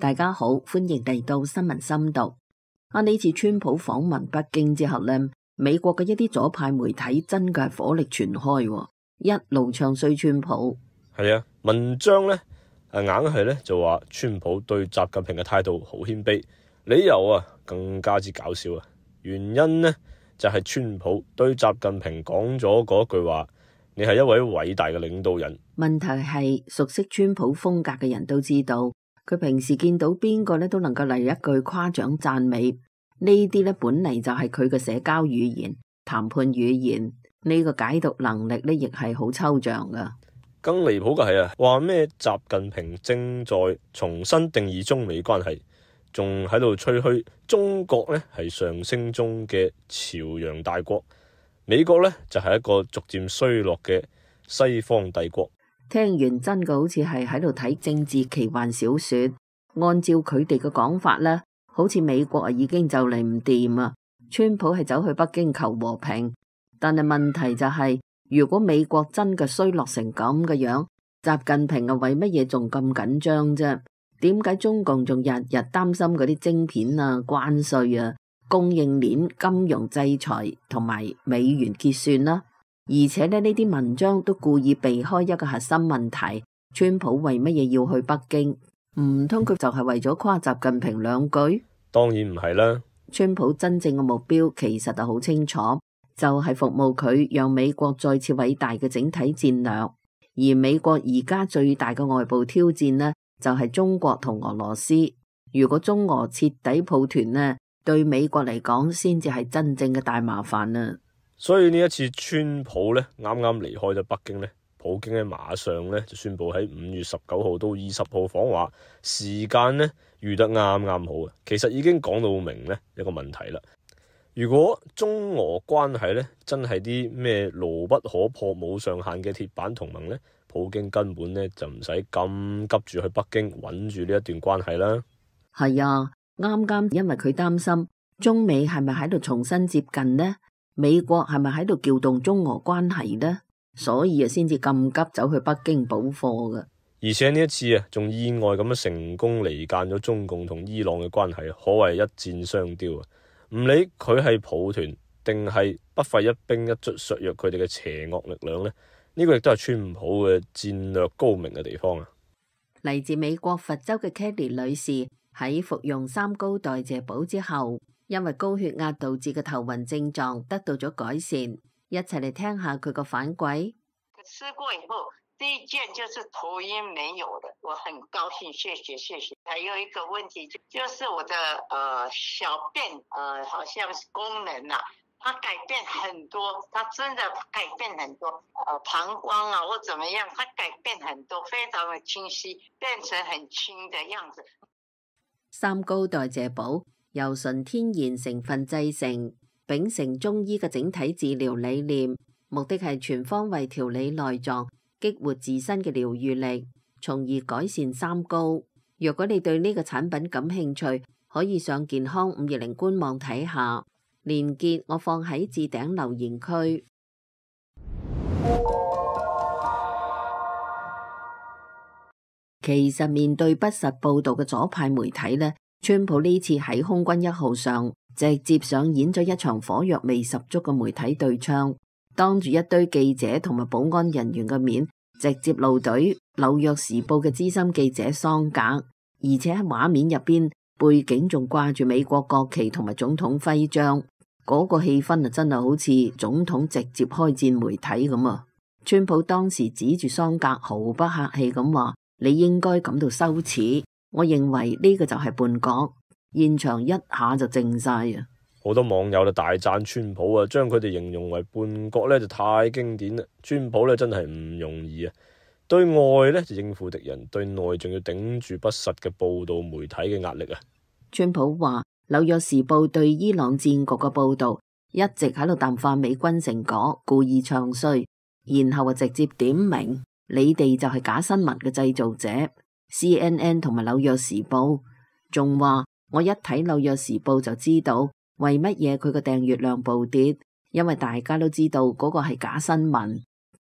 大家好，歡迎嚟到新聞深度。呢次川普訪問北京之後呢，美國嘅一啲左派媒體真嘅係火力全開，一路唱衰川普。係啊，文章呢硬係呢就話川普對習近平嘅態度好謙卑，理由更加之搞笑。原因呢就係川普對習近平講咗嗰句話：你係一位偉大嘅領導人。問題係熟悉川普風格嘅人都知道，佢平時見到邊個呢都能夠嚟一句誇獎讚美，呢啲呢本嚟就係佢嘅社交語言、談判語言，呢個解讀能力呢亦係好抽象噶。更離譜嘅係話咩習近平正在重新定義中美關係，仲喺度吹噓中國呢係上升中嘅朝陽大國，美國呢就係一個逐漸衰落嘅西方帝國。聽完真嘅好似係喺度睇政治奇幻小說。按照佢哋嘅講法呢，好似美國已經就嚟唔掂啊！川普係走去北京求和平，但係問題就係，如果美國真嘅衰落成咁嘅樣，習近平為乜嘢仲咁緊張啫？點解中共仲日日擔心嗰啲晶片啊、關稅啊、供應鏈、金融制裁同埋美元結算啦？而且呢啲文章都故意避開一個核心問題：川普為乜嘢要去北京？唔通佢就係為咗誇習近平兩句？當然唔係啦。川普真正嘅目標其實就好清楚，就係服務佢讓美國再次偉大嘅整體戰略。而美國而家最大嘅外部挑戰呢，就係中國同俄羅斯。如果中俄徹底抱團呢，對美國嚟講先至係真正嘅大麻煩啊！所以呢一次川普呢啱啱離開咗北京呢，普京呢馬上呢就宣布喺5月19號到20號訪華，時間呢預得啱啱好啊！其實已經講到明呢一個問題啦。如果中俄關係呢真係啲咩牢不可破冇上限嘅鐵板同盟呢，普京根本呢就唔使咁急住去北京穩住呢一段關係啦。係啊，啱啱因為佢擔心中美係咪喺度重新接近呢？美國係咪喺度撬動中俄關係呢？所以先至咁急走去北京補貨㗎。而且呢一次仲意外咁樣成功離間咗中共同伊朗嘅關係，可謂一箭雙雕啊！唔理佢係抱團定係不費一兵一卒削弱佢哋嘅邪惡力量呢，呢個亦都係川普嘅戰略高明嘅地方啊！嚟自美國佛州嘅 Kelly 女士喺服用3高代謝寶之後，因為高血壓導致嘅頭暈症狀得到咗改善，一齊嚟聽下佢個反饋。吃過以後，第一件就是頭暈沒有了，我很高興，謝謝。還有一個問題就是我的小便好像是功能它改變很多，它真的改變很多，膀胱或怎麼樣，它改變很多，非常的清晰，變成很輕的樣子。3高代謝寶由純天然成分製成，秉承中醫嘅整體治療理念，目的係全方位調理內臟，激活自身嘅療癒力，從而改善3高。若果你對呢個產品感興趣，可以上健康520官網睇下，連結我放喺置頂留言區。其實面對不實報道嘅左派媒體呢，川普呢次喺空軍1號上直接上演咗一場火藥味十足嘅媒體對槍，當住一堆記者同埋保安人員嘅面，直接怒懟紐約時報嘅資深記者桑格，而且喺畫面入邊背景仲掛住美國國旗同埋總統徽章，嗰個氣氛真係好似總統直接開戰媒體咁啊！川普當時指住桑格毫不客氣咁話：你應該感到羞恥。我認為呢個就係叛國，現場一下就靜晒啊！好多網友就大讚川普啊，將佢哋形容為叛國呢就太經典啦。川普呢真係唔容易啊，對外呢就應付敵人，對內仲要頂住不實嘅報道媒體嘅壓力啊！川普話紐約時報對伊朗戰局嘅報道一直喺度淡化美軍成果，故意唱衰，然後直接點名你哋就係假新聞嘅製造者。CNN 同埋紐約時報仲話，我一睇紐約時報就知道為乜嘢佢個訂閱量暴跌，因為大家都知道嗰個係假新聞。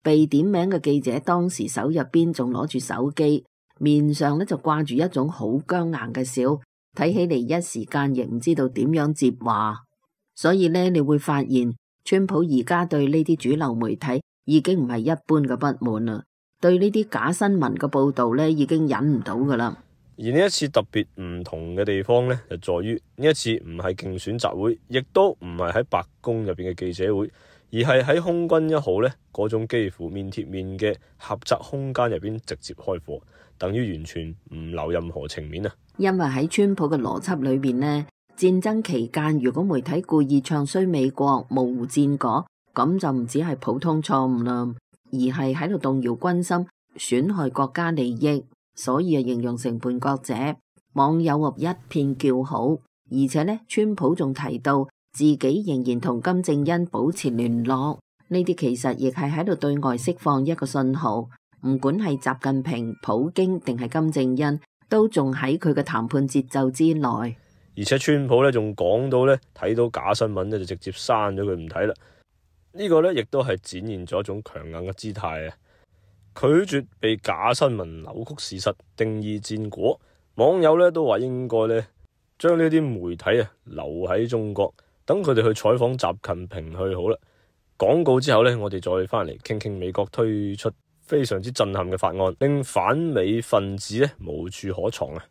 被點名嘅記者當時手入邊仲攞住手機，面上就掛住一種好僵硬嘅笑，睇起嚟一時間亦唔知道點樣接話。所以呢，你會發現川普而家對呢啲主流媒體已經唔係一般嘅不滿啦，對呢啲假新聞嘅報道呢已經忍唔到噶啦。而呢一次特別唔同嘅地方呢，就在於呢一次唔係競選集會，亦都唔係喺白宮入邊嘅記者會，而係喺空軍1號呢嗰種幾乎面貼面嘅狹窄空間入邊直接開火，等於完全唔留任何情面啊！因為喺川普嘅邏輯裏邊呢，戰爭期間如果媒體故意唱衰美國、模糊戰果，咁就唔止係普通錯誤啦，而係喺度動搖軍心、損害國家利益。所以形容成叛國者，網友一片叫好。而且呢，川普仲提到自己仍然同金正恩保持聯絡，呢啲其實亦係喺度對外釋放一個信號，唔管係習近平、普京定係金正恩，都仲喺佢嘅談判節奏之內。而且川普呢仲講到呢，睇到假新聞呢就直接刪咗佢唔睇啦。呢個呢亦都係展現咗一種強硬嘅姿態啊！拒絕被假新聞扭曲事實、定義戰果。網友呢都話應該呢將呢啲媒體留喺中國，等佢哋去採訪習近平去好啦。廣告之後呢，我哋再翻嚟傾傾美國推出非常之震撼嘅法案，令反美分子呢無處可藏啊！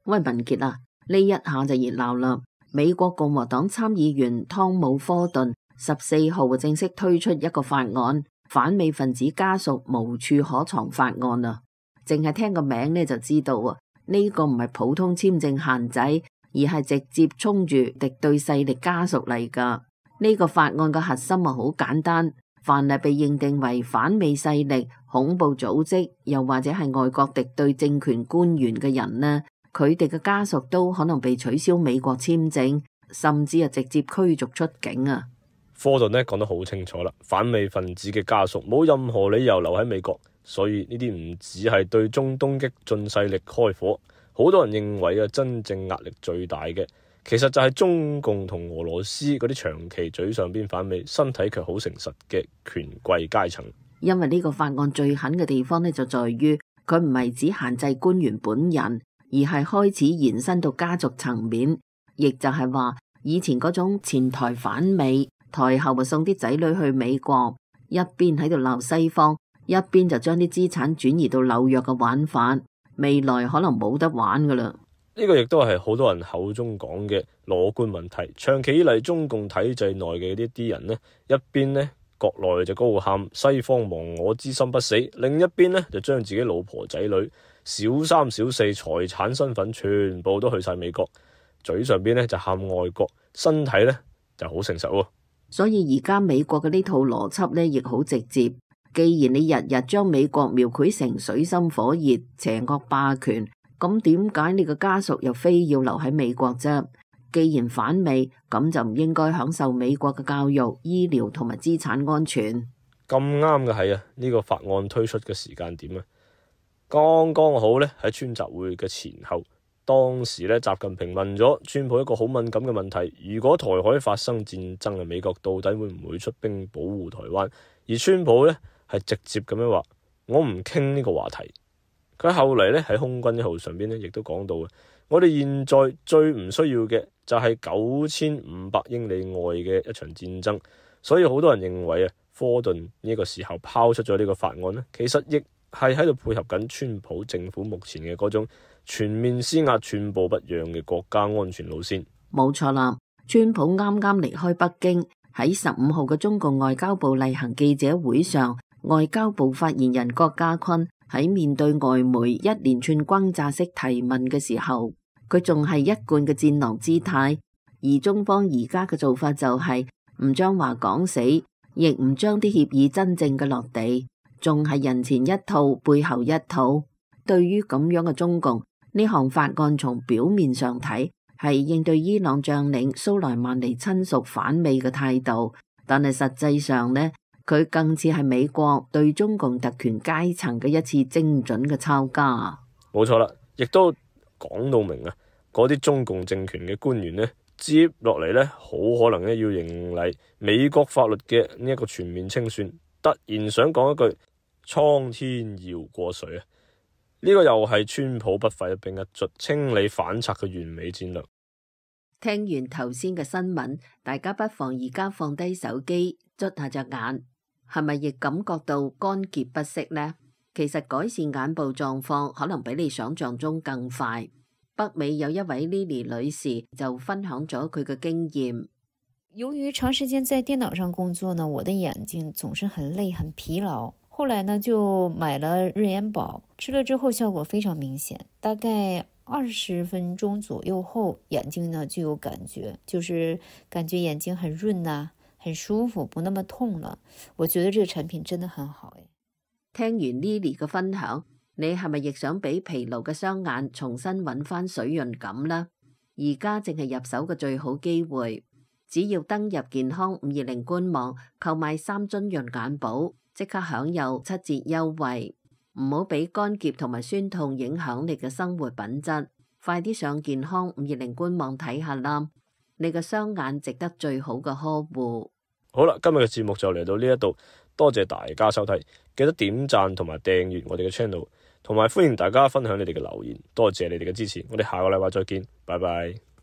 喂，文傑啊，呢一下就熱鬧啦！美國共和黨參議員湯姆科頓14號正式推出一個法案，反美分子家屬無處可藏法案啊！淨係聽個名呢就知道啊，呢個唔係普通簽證限制，而係直接衝住敵對勢力家屬嚟噶。呢個法案嘅核心好簡單，凡係被認定為反美勢力、恐怖組織，又或者係外國敵對政權官員嘅人呢，佢哋嘅家屬都可能被取消美國簽證，甚至直接驅逐出境啊！科頓呢講得好清楚啦，反美分子嘅家屬冇任何理由留喺美國，所以呢啲唔只係對中東激進勢力開火，好多人認為真正壓力最大嘅，其實就係中共同俄羅斯嗰啲長期嘴上邊反美，身體卻好誠實嘅權貴階層。因為呢個法案最狠嘅地方呢，就在於佢唔係只限制官員本人，而係開始延伸到家族層面，亦就係話以前嗰種前台反美，台後送啲仔女去美國，一邊喺度鬧西方，一邊就將啲資產轉移到紐約嘅玩法，未來可能冇得玩噶啦。呢個亦都係好多人口中講嘅裸官問題。長期以嚟中共體制內嘅呢啲人呢，一邊呢國內就高喊西方亡我之心不死，另一邊呢就將自己老婆仔女小三小四財產身份全部都去晒美國，嘴上邊呢就喊愛國，身體呢就好誠實喎。所以而家美國嘅呢套邏輯呢亦好直接。既然你日日將美國描繪成水深火熱、邪惡霸權，咁點解你嘅家屬又非要留喺美國啫？既然反美，咁就唔應該享受美國嘅教育、醫療同埋資產安全。咁啱嘅係啊，呢個法案推出嘅時間點啊，剛剛好呢喺川習會嘅前後。當時呢，習近平問咗川普一個好敏感嘅問題：如果台海發生戰爭，美國到底會唔會出兵保護台灣？而川普呢，係直接咁樣話：我唔傾呢個話題。佢後嚟呢，喺空軍1號上邊呢，亦都講到我哋現在最唔需要嘅就係9500英里外嘅一場戰爭。所以好多人認為科頓呢個時候拋出咗呢個法案呢，其實亦係喺度配合緊川普政府目前嘅嗰種全面施壓、寸步不讓嘅國家安全路線。冇錯啦，川普啱啱離開北京，喺15號嘅中共外交部例行記者會上，外交部發言人郭家坤喺面對外媒一連串轟炸式提問嘅時候，佢仲係一貫嘅戰狼姿態。而中方而家嘅做法就係唔將話講死，亦唔將啲協議真正嘅落地，仲係人前一套背後一套。對於咁樣嘅中共，呢項法案從表面上睇係應對伊朗將領蘇萊曼尼親屬反美嘅態度，但係實際上呢，佢更似係美國對中共特權階層嘅一次精準嘅抄家。冇錯啦，亦都講到明嗰啲中共政權嘅官員呢，接落嚟呢，好可能呢要迎嚟美國法律嘅呢一個全面清算，突然想講一句蒼天饒過誰啊！呢個又係川普不費一兵一卒清理反賊嘅完美戰略。聽完頭先嘅新聞，大家不妨而家放低手機，捽下隻眼，係咪亦感覺到乾澀不適呢？其實改善眼部狀況可能比你想象中更快。北美有一位 Lily 女士就分享咗佢嘅經驗。由於長時間在電腦上工作呢，我的眼睛總是很累很疲勞。後來呢就買了日眼寶，吃了之後效果非常明顯，大概20分鐘左右後，眼睛呢就有感覺，就是感覺眼睛很潤啊，很舒服，不那麼痛了。我覺得這個產品真的很好。聽完 Lily 嘅分享，你係咪亦想俾疲勞嘅雙眼重新揾翻水潤感呢？而家正係入手嘅最好機會，只要登入健康520官網購買3樽潤眼寶，即刻享有7折優惠。唔好俾乾澀同埋酸痛影響你嘅生活品質，快啲上健康520官網睇下啦！你嘅雙眼值得最好嘅呵護。好啦，今日嘅節目就嚟到呢一度，多謝大家收睇，記得點讚同埋訂閱我哋嘅 channel，同埋歡迎大家分享你哋嘅留言，多謝你哋嘅支持，我哋下個禮拜再見，拜拜。